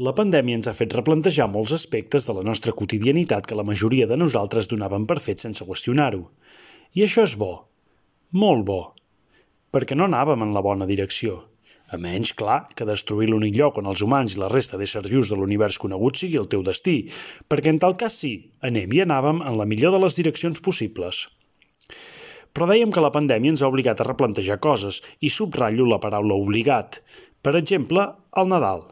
La pandèmia ens ha fet replantejar molts aspectes de la nostra quotidianitat que la majoria de nosaltres donaven per fet sense qüestionar-ho. I això és bo. Molt bo. Perquè no anàvem en la bona direcció. A menys, clar, que destruir l'únic lloc on els humans i la resta d'éssers vius de l'univers conegut sigui el teu destí, perquè en tal cas sí, anem i anàvem en la millor de les direccions possibles. Però dèiem que la pandèmia ens ha obligat a replantejar coses i subratllo la paraula obligat. Per exemple, el Nadal.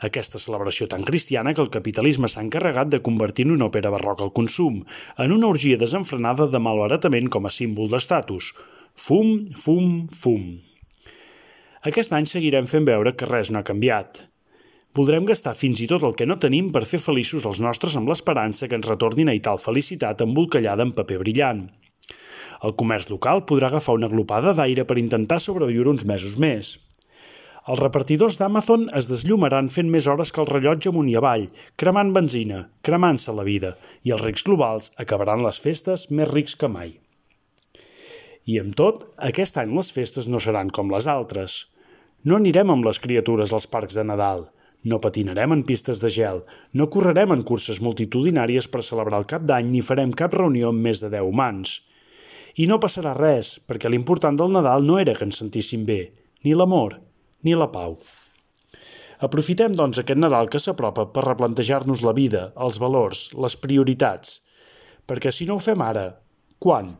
Aquesta celebració tan cristiana que el capitalisme s'ha encarregat de convertir en una òpera barroca al consum, en una orgia desenfrenada de malbaratament com a símbol d'estatus. Fum, fum, fum. Aquest any seguirem fent veure que res no ha canviat. Voldrem gastar fins i tot el que no tenim per fer feliços els nostres amb l'esperança que ens retornin a tal felicitat embolcallada en paper brillant. El comerç local podrà agafar una glopada d'aire per intentar sobreviure uns mesos més. Els repartidors d'Amazon es deslllumaran fent més hores que el rellotge amunt i avall, cremant benzina, cremant-se la vida, i els rics globals acabaran les festes més rics que mai. I amb tot, aquest any les festes no seran com les altres. No anirem amb les criatures als parcs de Nadal, no patinarem en pistes de gel, no correrem en curses multitudinàries per celebrar el cap d'any ni farem cap reunió amb més de 10 humans. I no passarà res, perquè l'important del Nadal no era que ens sentíssim bé, ni l'amor, ni la pau. Aprofitem, doncs, aquest Nadal que s'apropa per replantejar-nos la vida, els valors, les prioritats. Perquè si no ho fem ara, quan?